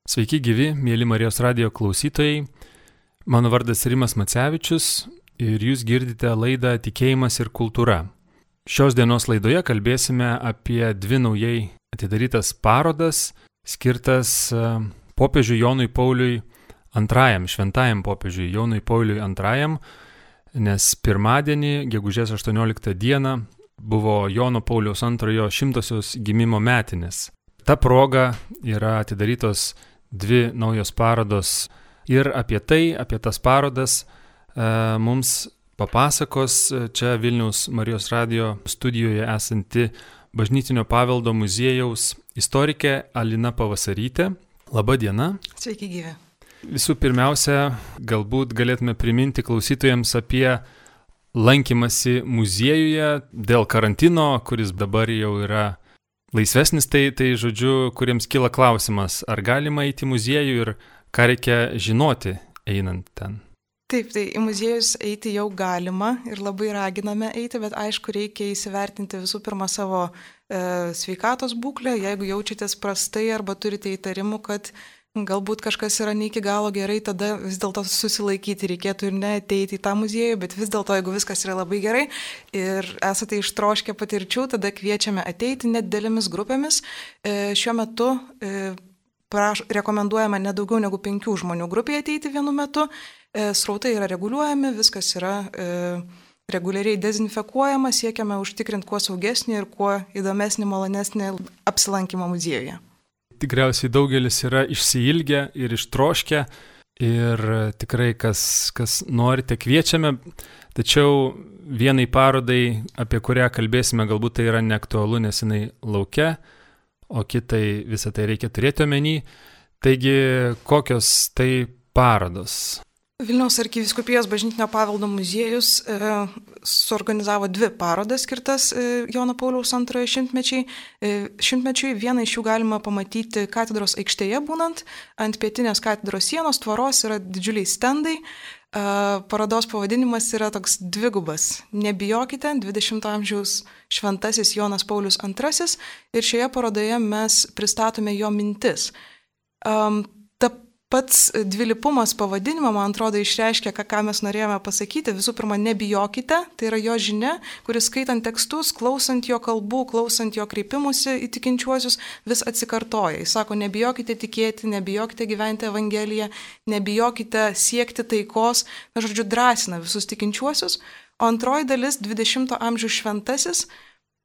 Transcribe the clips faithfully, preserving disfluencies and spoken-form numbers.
Sveiki gyvi, mėly Marijos radijo klausytojai. Mano vardas Rimas Macevičius ir jūs girdite laidą Tikėjimas ir kultūra. Šios dienos laidoje kalbėsime apie dvi naujai atidarytas parodas, skirtas popiežiui Jonui Pauliui antrajam, šventajam popiežiui Jonui Pauliui antrajam, nes pirmadienį, gegužės aštuonioliktą dieną, buvo Jono Pauliaus antrojo šimtosios gimimo metinės. Ta proga yra atidarytos dvi naujos parodos ir apie tai, apie tas parodas e, mums papasakos čia Vilniaus Marijos radijo studijoje esanti Bažnytinio paveldo muziejaus istorikė Alina Pavasarytė. Labą dieną. Sveiki gyvi. Visų pirmiausia, galbūt galėtume priminti klausytojams apie lankymasi muziejuje dėl karantino, kuris dabar jau yra laisvesnis, tai, tai žodžiu, kuriems kyla klausimas, ar galima eiti į muziejų ir ką reikia žinoti einant ten. Taip, tai į muziejus eiti jau galima ir labai raginame eiti, bet aišku, reikia įsivertinti visų pirma savo e, sveikatos būklę, jeigu jaučiatės prastai arba turite įtarimų, kad galbūt kažkas yra ne iki galo gerai, tada vis dėlto susilaikyti reikėtų ir neateiti į tą muziejų, bet vis dėlto, jeigu viskas yra labai gerai ir esate ištroškę patirčių, tada kviečiame ateiti nedidelėmis grupėmis. E, šiuo metu e, praš, rekomenduojama nedaugiau negu penkių žmonių grupėje ateiti vienu metu. E, srautai yra reguliuojami, viskas yra e, reguliariai dezinfekuojama, siekiame užtikrinti kuo saugesnį ir kuo įdomesnį, malonesnį apsilankymą muziejuje. Tikriausiai daugelis yra išsiilgę ir ištroškę ir tikrai kas, kas norite kviečiame, tačiau vienai parodai, apie kurią kalbėsime, galbūt tai yra neaktualu, nes jinai laukia, o kitai visą tai reikia turėti omeny. Taigi, kokios tai parodos? Vilniaus arkivyskupijos Bažnytinio paveldo muziejus e, suorganizavo dvi parodas skirtas e, Jono Pauliaus antrojo šimtmečiai. E, šimtmečiui vieną iš jų galima pamatyti katedros aikštėje būnant. Ant pietinės katedros sienos tvoros yra didžiuliai stendai. E, parodos pavadinimas yra toks dvigubas. Nebijokite, dvidešimto amžiaus šventasis Jonas Paulius antrasis. Ir šioje parodoje mes pristatome jo mintis. Um, ta Pats dvilypumas pavadinimo, man atrodo, išreiškia, ką, ką mes norėjome pasakyti. Visų pirma, nebijokite, tai yra jo žinia, kuris skaitant tekstus, klausant jo kalbų, klausant jo kreipimusi į tikinčiuosius, vis atsikartoja. Jis sako, nebijokite tikėti, nebijokite gyventi Evangeliją, nebijokite siekti taikos, na, žodžiu, drąsina visus tikinčiuosius. O antroji dalis, dvidešimto amžiaus šventasis,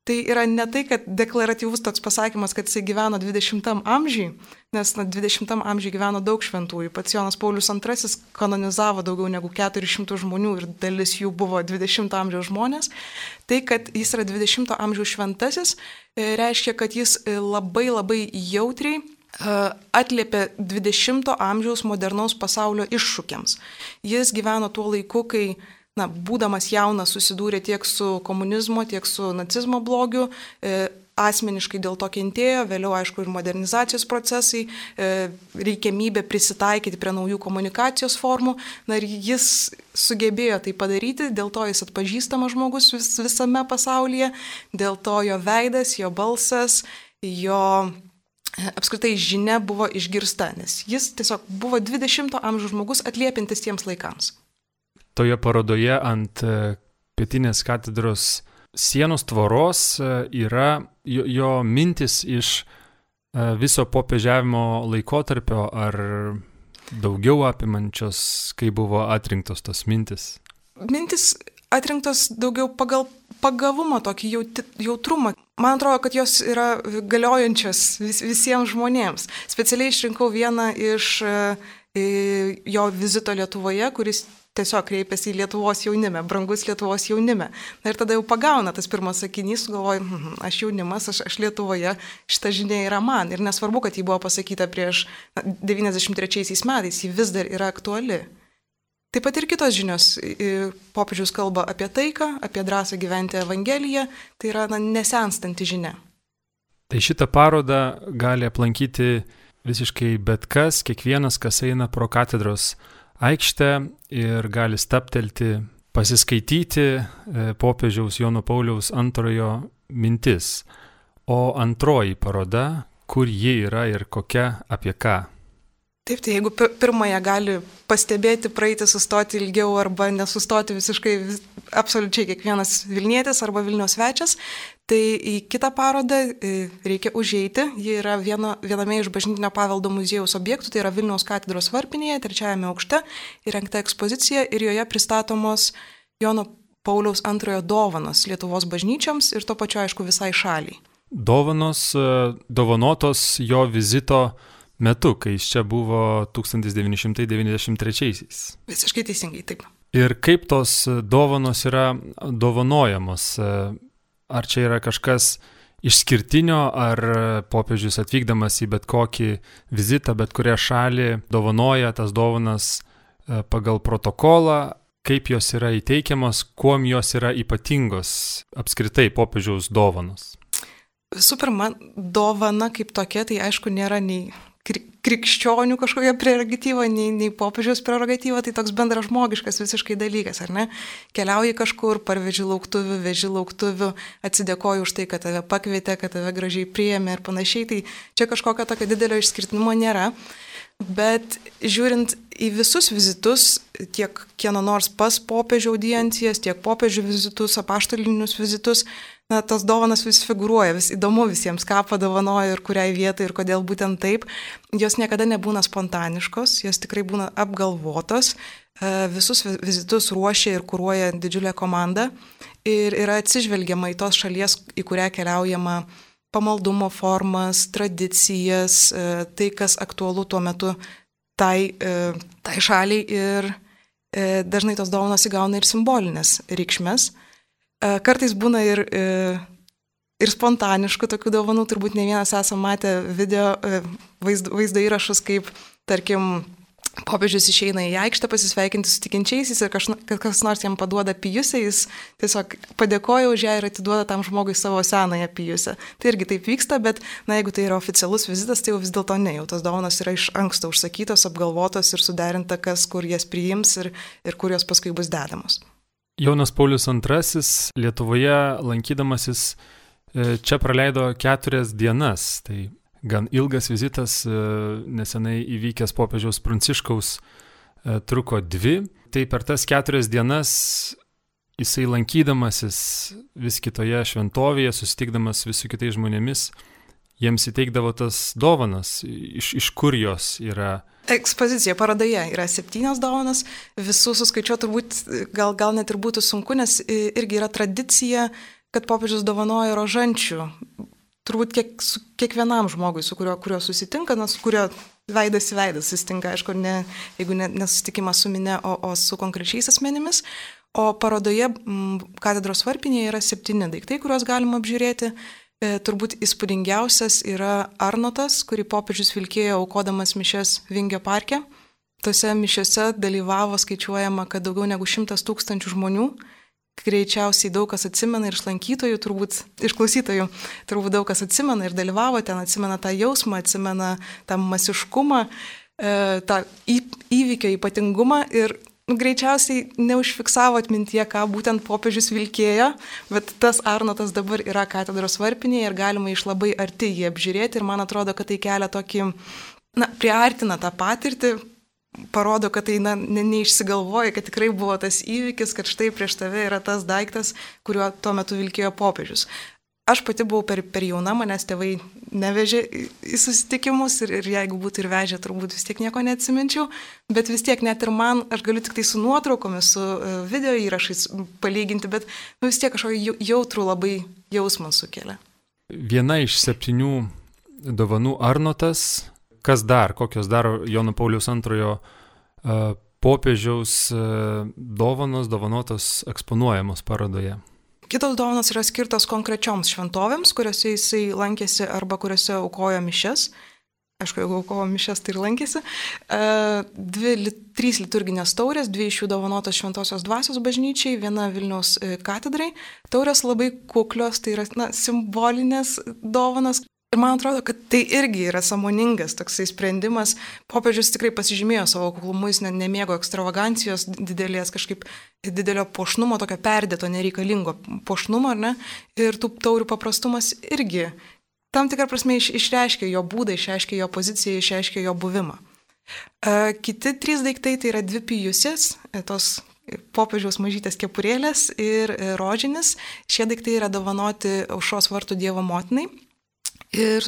tai yra ne tai, kad deklaratyvus toks pasakymas, kad jisai gyveno dvidešimtam amžiui, nes na, dvidešimtam amžiui gyveno daug šventųjų. Pats Jonas Paulius antrasis kanonizavo daugiau negu keturis šimtus žmonių ir dalis jų buvo dvidešimto amžiaus žmonės. Tai, kad jis yra dvidešimto amžiaus šventasis, reiškia, kad jis labai labai jautriai atliepė dvidešimto amžiaus modernaus pasaulio iššūkiams. Jis gyveno tuo laiku, kai Na, būdamas jaunas susidūrė tiek su komunizmo, tiek su nacizmo blogiu, e, asmeniškai dėl to kentėjo, vėliau aišku ir modernizacijos procesai, e, reikiamybė prisitaikyti prie naujų komunikacijos formų. Na ir jis sugebėjo tai padaryti, dėl to jis atpažįstamas žmogus vis, visame pasaulyje, dėl to jo veidas, jo balsas, jo apskritai žinia buvo išgirsta, nes jis tiesiog buvo dvidešimto amžiaus žmogus atliepintis tiems laikams. Toje parodoje ant pietinės katedros sienos tvoros yra jo, jo mintis iš viso popiežiavimo laikotarpio ar daugiau apimančios, kai buvo atrinktos tos mintis? Mintis atrinktos daugiau pagal pagavumą, tokį jautrumą. Man atrodo, kad jos yra galiojančios vis, visiems žmonėms. Specialiai išrinkau vieną iš jo vizito Lietuvoje, kuris tiesiog kreipėsi į Lietuvos jaunimę, brangus Lietuvos jaunimę. Na ir tada jau pagauna tas pirmas sakinys, galvoju, hm, aš jaunimas, aš, aš Lietuvoje, šita žinia yra man. Ir nesvarbu, kad ji buvo pasakyta prieš na, devyniasdešimt trečiaisiais metais, ji vis dar yra aktuali. Taip pat ir kitos žinios. Popiežius kalba apie taiką, apie drąsą gyventi Evangeliją, tai yra na, nesenstanti žinia. Tai šitą parodą gali aplankyti visiškai bet kas, kiekvienas, kas eina pro katedros aikštę ir gali staptelti, pasiskaityti popiežiaus Jono Pauliaus antrojo mintis. O antroji paroda, kur ji yra ir kokia, apie ką? Taip, tai jeigu pirmąją gali pastebėti, praeiti, sustoti ilgiau arba nesustoti visiškai vis, absoliučiai kiekvienas Vilnietis arba Vilniaus svečias, tai į kitą parodą reikia užeiti. Ji yra viena, viename iš bažnytinio paveldo muziejaus objektų, tai yra Vilniaus katedros varpinėje, trečiajame aukšte, įrengta ekspozicija ir joje pristatomos Jono Pauliaus antrojo dovanos Lietuvos bažnyčioms ir to pačiu, aišku, visai šaliai. Dovanos dovanotos jo vizito metu, kai jis čia buvo tūkstantis devyni šimtai devyniasdešimt trečiaisiais. Visiškai teisingai, taip. Ir kaip tos dovanos yra dovanojamos? Ar čia yra kažkas išskirtinio, ar popiežius atvykdamas į bet kokį vizitą, bet kurią šalį dovanoja tas dovanas pagal protokolą, kaip jos yra įteikiamos, kuom jos yra ypatingos apskritai popiežiaus dovanos? Visų pirma, dovana kaip tokia, tai aišku nėra nei krikščionių kažkokia prerogatyva, nei, nei popiežiaus prerogatyva, tai toks bendražmogiškas visiškai dalykas, ar ne? Keliauji kažkur, parveži lauktuvių, veži lauktuvių, atsidėkoji už tai, kad tave pakvietė, kad tave gražiai priėmė ir panašiai, tai čia kažkokio tokio didelio išskirtinumo nėra. Bet žiūrint į visus vizitus, tiek kieno nors pas popiežių audiencijas, tiek popiežių vizitus, apaštalinius vizitus, na, tas dovanas vis figūruoja, vis įdomu visiems, ką padovanojo ir kuriai vietai ir kodėl būtent taip. Jos niekada nebūna spontaniškos, jos tikrai būna apgalvotos. Visus vizitus ruošia ir kuruoja didžiulė komanda ir yra atsižvelgiama į tos šalies, į kurią keliaujama, pamaldumo formas, tradicijas, tai, kas aktualu tuo metu tai, tai šaliai ir dažnai tos dovanos įgauna ir simbolinės reikšmės. Kartais būna ir, ir spontaniškų tokių dovanų, turbūt ne vienas esame matę video vaizdo, vaizdo įrašus, kaip, tarkim, popiežius išeina į aikštę pasisveikinti su tikinčiaisiais ir kažna, kas nors jam paduoda pijusę, jis tiesiog padėkoja už ją ir atiduoda tam žmogui savo senąją pijusę. Tai irgi taip vyksta, bet na, jeigu tai yra oficialus vizitas, tai jau vis dėlto ne, jau tos dovanos yra iš anksto užsakytos, apgalvotos ir suderinta, kas kur jas priims ir, ir kur jos paskui bus dedamos. Jonas Paulius antrasis Lietuvoje lankydamasis čia praleido keturias dienas. Tai gan ilgas vizitas, nesenai įvykęs popiežiaus Pranciškaus truko dvi. Tai per tas keturias dienas jisai lankydamasis vis kitoje šventovėje, susitikdamas vis su kitais žmonėmis, jiems įteikdavo tas dovanas, iš, iš kur jos yra. Ekspozicija parodoje yra septynios dovanos, visų suskaičiuoti turbūt gal, gal net ir būtų sunku, nes irgi yra tradicija, kad popiežius dovanoja rožančių. Turbūt kiek, su kiekvienam žmogui, su kurio, kurio susitinka, na, su kurio veidas į veidą susitinka, aišku, ne, jeigu ne, nesusitikimas su mine, o, o su konkrečiais asmenimis. O parodoje m, katedros varpinėje yra septyni daiktai, kuriuos galima apžiūrėti. E, turbūt įspūdingiausias yra Arnotas, kurį popiežius vilkėjo aukodamas mišias Vingio parke. Tose mišiose dalyvavo, skaičiuojama, kad daugiau negu šimtas tūkstančių žmonių. Greičiausiai daug kas atsimena ir iš lankytojų, turbūt iš klausytojų, turbūt daug kas atsimena ir dalyvavo ten, atsimena tą jausmą, atsimena tą masiškumą, e, tą į, įvykio ypatingumą ir greičiausiai neužfiksavo atmintyje, ką būtent popiežius vilkėjo, bet tas Arnotas dabar yra katedros varpinėje ir galima iš labai arti jį apžiūrėti ir man atrodo, kad tai kelia tokį, na, priartina tą patirtį, parodo, kad tai na, ne, neišsigalvoja, kad tikrai buvo tas įvykis, kad štai prieš tave yra tas daiktas, kuriuo tuo metu vilkėjo popiežius. Aš pati buvau per, per jauna, manęs tėvai nevežė į susitikimus ir, ir jeigu būtų ir vežė, turbūt vis tiek nieko neatsiminčiau, bet vis tiek net ir man, aš galiu tik tai su nuotraukomis, su video įrašais palyginti, bet nu, vis tiek kažkokį jautrų labai jausmą sukelia. Viena iš septynių dovanų Arnotas, kas dar, kokios dar Jono Pauliaus antrojo uh, popiežiaus uh, dovanos, dovanotos eksponuojamos parodoje? Kitos dovanos yra skirtos konkrečioms šventovėms, kuriuose jisai lankėsi arba kuriuose aukojo mišias. Aišku, jeigu aukojo mišias, tai ir lankėsi. Dvi, trys liturginės taurės, dvi iš jų dovanotos Šventosios Dvasios bažnyčiai, viena Vilniaus katedrai. Taurės labai kuklios, tai yra na, simbolinės dovanas. Ir man atrodo, kad tai irgi yra sąmoningas toksai sprendimas. Popiežius tikrai pasižymėjo savo kuklumu, jis ne, nemėgo ekstravagancijos didelės, kažkaip didelio puošnumo, tokio perdėto, nereikalingo puošnumo, ar ne? Ir tų taurių paprastumas irgi tam tikrą prasme iš, išreiškia jo būdą, išreiškia jo poziciją, išreiškia jo buvimą. Kiti trys daiktai tai yra dvi pijusės, tos popiežiaus mažytės kepurėlės ir rožinis. Šie daiktai yra dovanoti Aušros vartų Dievo motinai. Ir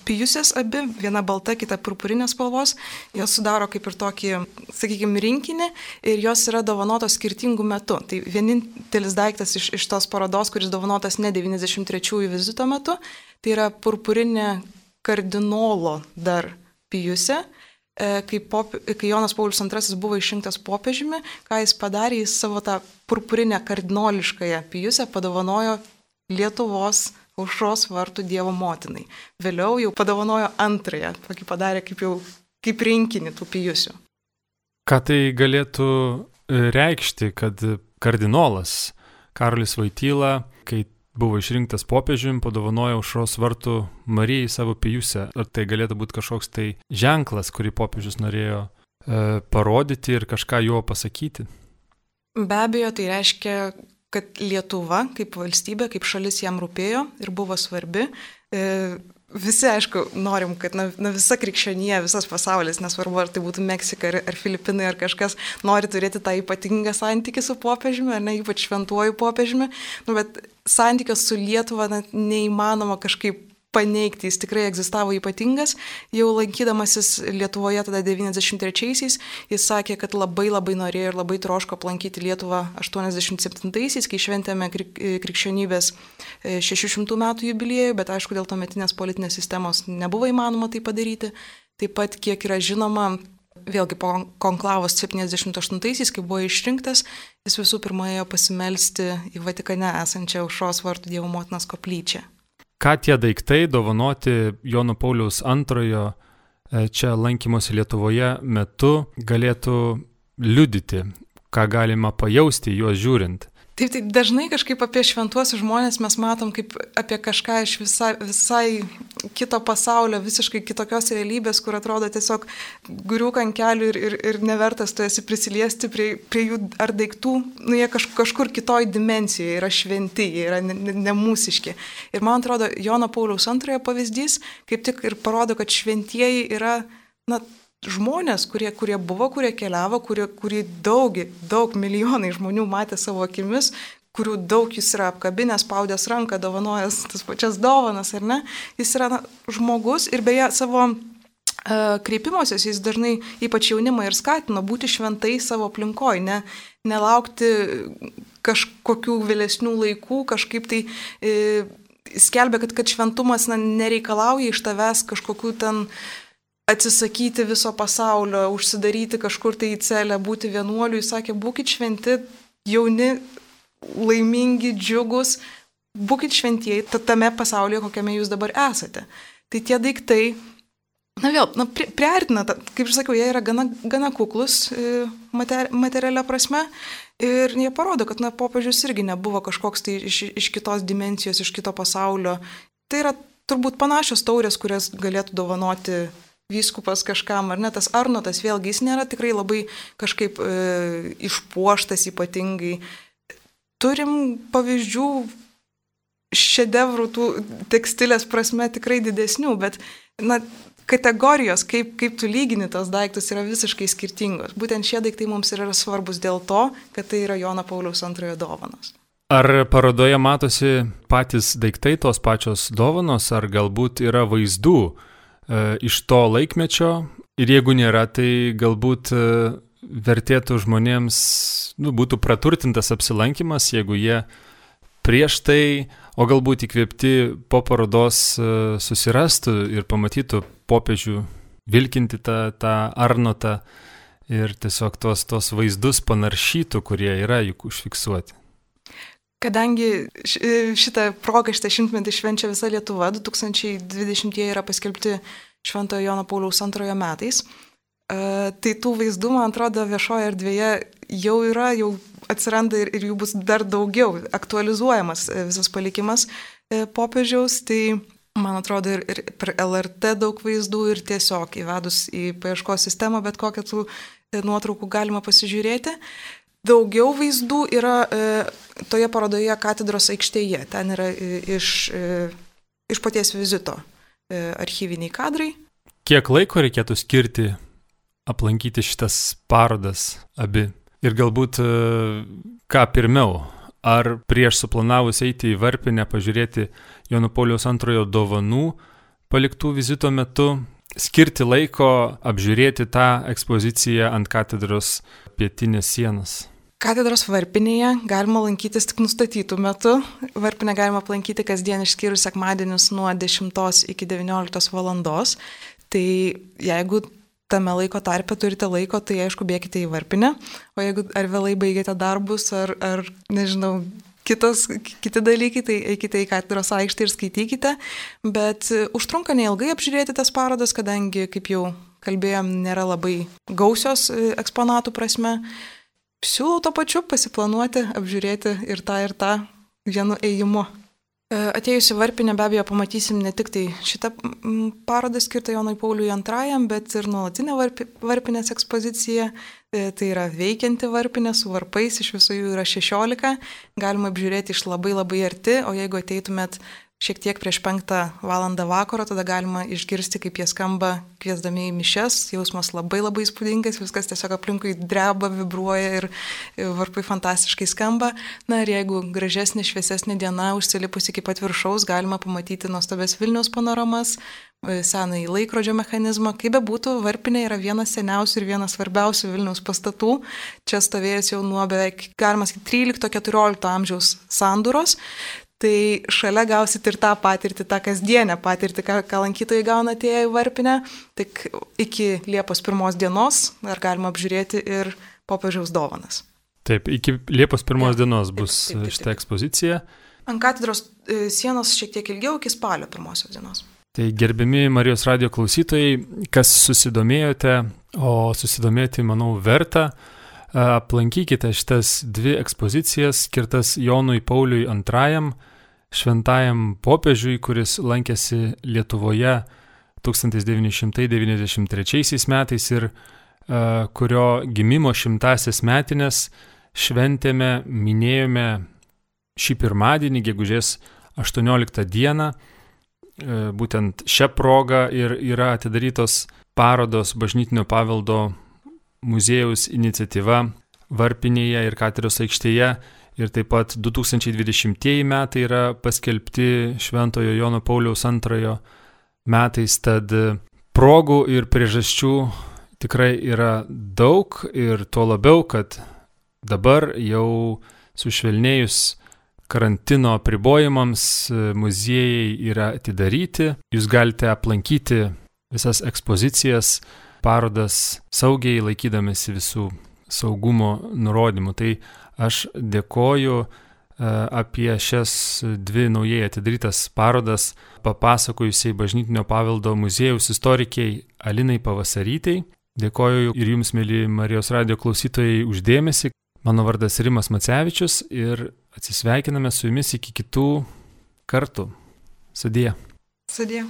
pijusės abi, viena balta, kita purpurinės spalvos, jos sudaro kaip ir tokį, sakykime, rinkinį ir jos yra dovanotos skirtingų metų. Tai vienintelis daiktas iš, iš tos parodos, kuris dovanotas ne devyniasdešimt trečiųjų vizito metu, tai yra purpurinė kardinolo dar pijusė. Kai, pop, kai Jonas Paulius antrasis buvo išrinktas popiežiumi, ką jis padarė, jis savo tą purpurinę kardinoliškąją pijusę padovanojo Lietuvos Aušros vartų Dievo motinai. Vėliau jau padovanojo antrąją, tokį padarė kaip, jau, kaip rinkinį tų pijusių. Ką tai galėtų reikšti, kad kardinolas Karolis Voityla, kai buvo išrinktas popiežiumi, padovanojo Aušros vartų Marijai savo pijusę? Ar tai galėtų būti kažkoks tai ženklas, kurį popiežius norėjo e, parodyti ir kažką juo pasakyti? Be abejo, tai reiškia, kad Lietuva kaip valstybė, kaip šalis jam rūpėjo ir buvo svarbi. E, visi, aišku, norim, kad na, na, visa krikščionija, visas pasaulis, nesvarbu, ar tai būtų Meksika ar, ar Filipinai, ar kažkas, nori turėti tą ypatingą santykį su popiežiumi, ar ne, ypač šventuoju popiežiumi. Nu, bet santykis su Lietuva na, neįmanoma kažkaip paneigti, jis tikrai egzistavo ypatingas. Jau lankydamasis Lietuvoje tada devyniasdešimt trečiaisiais, jis sakė, kad labai labai norėjo ir labai troško aplankyti Lietuvą aštuoniasdešimt septintaisiais, kai šventėme krik, krikščionybės šešių šimtų metų jubiliejų, bet aišku, dėl tuometinės politinės sistemos nebuvo įmanoma tai padaryti. Taip pat, kiek yra žinoma, vėlgi po konklavos septyniasdešimt aštuntaisiais, kai buvo išrinktas, jis visų pirma ėjo pasimelsti į Vatikane esančią Aušros vartų Dievo motinos koplyčią. Ką tie daiktai dovanoti Jono Pauliaus antrojo čia lankymosi Lietuvoje metu galėtų liudyti, ką galima pajausti juos žiūrint? Taip, taip, dažnai kažkaip apie šventuosius žmonės mes matom kaip apie kažką iš visai, visai kito pasaulio, visiškai kitokios realybės, kur atrodo tiesiog griūk ant kelių ir, ir, ir nevertas tu esi prisiliesti prie, prie jų ar daiktų, nu jie kaž, kažkur kitoj dimensijoje yra šventi, jie yra nemūsiški. Ir man atrodo, Jono Pauliaus antrojo pavyzdys kaip tik ir parodo, kad šventieji yra, na, žmonės, kurie, kurie buvo, kurie keliavo, kurie, kurie daug, daug milijonai žmonių matė savo akimis, kurių daug jis yra apkabinęs, spaudęs ranką, dovanojęs tas pačias dovanas, ar ne? Jis yra na, žmogus ir beje savo uh, kreipimosios jis dažnai ypač jaunimą ir skatino būti šventai savo aplinkoje, ne, nelaukti kažkokių vėlesnių laikų, kažkaip tai uh, skelbė, kad, kad šventumas na, nereikalauja iš tavęs kažkokių ten atsisakyti viso pasaulio, užsidaryti kažkur tai į celę, būti vienuoliu. Jis sakė, būkit šventi, jauni, laimingi, džiugus, būkit šventieji tame pasaulyje, kokiame jūs dabar esate. Tai tie daiktai, na vėl, na, pri, priartina, kaip ir sakiau, jie yra gana, gana kuklus mater, materialia prasme ir jie parodo, kad na, popiežius irgi nebuvo kažkoks tai iš, iš kitos dimensijos, iš kito pasaulio. Tai yra turbūt panašios taurės, kurias galėtų dovanoti vyskupas kažkam, ar ne, tas arnotas, vėlgi jis nėra tikrai labai kažkaip e, išpuoštas ypatingai. Turim pavyzdžių šedevrų tų tekstilės prasme tikrai didesnių, bet na, kategorijos, kaip, kaip tu lygini tos daiktus, yra visiškai skirtingos. Būtent šie daiktai mums yra svarbus dėl to, kad tai yra Jono Pauliaus antrojo dovanos. Ar parodoje matosi patys daiktai, tos pačios dovanos, ar galbūt yra vaizdų iš to laikmečio ir jeigu nėra, tai galbūt vertėtų žmonėms, nu, būtų praturtintas apsilankimas, jeigu jie prieš tai, o galbūt įkvėpti po parodos susirastų ir pamatytų popiežių vilkinti tą, tą arnotą ir tiesiog tos, tos vaizdus panaršytų, kurie yra juk užfiksuoti. Kadangi šitą progą, šitą šimtmetį švenčia visa Lietuva, du tūkstančiai dvidešimtieji yra paskelbti Šventojo Jono Pauliaus antrojo metais, tai tų vaizdų, man atrodo, viešoje erdvėje jau yra, jau atsiranda ir, ir jų bus dar daugiau, aktualizuojamas visas palikimas popiežiaus, tai man atrodo ir, ir per L R T daug vaizdų ir tiesiog įvedus į paieškos sistemą, bet kokią tų nuotraukų galima pasižiūrėti. Daugiau vaizdų yra e, toje parodoje katedros aikštėje. Ten yra e, iš, e, iš paties vizito e, archyviniai kadrai. Kiek laiko reikėtų skirti aplankyti šitas parodas abi. Ir galbūt ką pirmiau, ar prieš suplanavus eiti į Varpinę pažiūrėti Jono Pauliaus antrojo dovanų paliktų vizito metu, skirti laiko apžiūrėti tą ekspoziciją ant katedros pietinės sienos. Katedros Varpinėje galima lankytis tik nustatytų metų. Varpinę galima aplankyti kasdien išskyrus sekmadienius nuo dešimtos iki devynioliktos valandos. Tai jeigu tame laiko tarpe turite laiko, tai aišku bėkite į Varpinę. O jeigu ar vėlai baigėte darbus, ar, ar nežinau, kitos, kiti dalykai, tai eikite į katedros aikštę ir skaitykite. Bet užtrunka neilgai apžiūrėti tas parodas, kadangi, kaip jau kalbėjom, nėra labai gausios eksponatų prasme. Siūlau to pačiu pasiplanuoti, apžiūrėti ir tą ir tą vienu ėjimu. Atėjus į Varpinę be abejo pamatysim ne tik tai šitą parodą skirtą Jonui Pauliui antrajam, bet ir nuolatinę Varpinės ekspoziciją. Tai yra veikianti Varpinė su varpais, iš viso jų yra šešiolika. Galima apžiūrėti iš labai labai arti, o jeigu ateitumėt šiek tiek prieš penktą valandą vakaro, tada galima išgirsti, kaip jie skamba kviesdami į mišias. Jausmas labai labai įspūdingas, viskas tiesiog aplinkui dreba, vibruoja ir varpai fantastiškai skamba. Na ir jeigu gražesnė, šviesesnė diena, užsilipus iki pat viršaus, galima pamatyti nuostabes Vilniaus panoramas, senąjį laikrodžio mechanizmą. Kaip bebūtų, Varpinė yra vienas seniausių ir vienas svarbiausių Vilniaus pastatų. Čia stovėjęs jau nuo beveik, galima sakyti, trylikto keturiolikto amžiaus sandūros. Tai šalia gausit ir tą patirtį, tą kasdienę patirtį, ką, ką lankytojai gauna atėję į Varpinę. Tik iki Liepos pirmos dienos dar galima apžiūrėti ir popiežiaus dovanas. Taip, iki Liepos pirmos ja, dienos bus taip, taip, taip, taip. šita ekspozicija. Ant katedros sienos šiek tiek ilgiau, iki spalio pirmosios dienos. Tai gerbiami Marijos radijo klausytojai, kas susidomėjote, o susidomėti, manau, verta, aplankykite šitas dvi ekspozicijas skirtas Jonui Pauliui antrajam, šventajam popiežiui, kuris lankėsi Lietuvoje tūkstantis devyni šimtai devyniasdešimt trečiaisiais metais ir uh, kurio gimimo šimtąsias metines šventėme, minėjome šį pirmadienį, gegužės aštuonioliktą dieną. Uh, būtent šią progą ir yra atidarytos parodos Bažnytinio paveldo muziejaus iniciatyva Varpinėje ir katedros aikštėje ir taip pat du tūkstančiai dvidešimtieji metai yra paskelbti Šventojo Jono Pauliaus antrojo metais, tad progų ir priežasčių tikrai yra daug ir tuo labiau, kad dabar jau sušvelnėjus karantino apribojimams muziejai yra atidaryti, jūs galite aplankyti visas ekspozicijas, parodas saugiai laikydamėsi visų saugumo nurodymų. Tai aš dėkoju apie šias dvi naujai atidarytas parodas papasakojusiai Bažnytinio paveldo muziejaus istorikiai Alinai Pavasarytei. Dėkoju ir jums, mėly Marijos radijo klausytojai, uždėmesį. Mano vardas Rimas Macevičius ir atsisveikiname su jumis iki kitų kartų. Sudie. Sudie.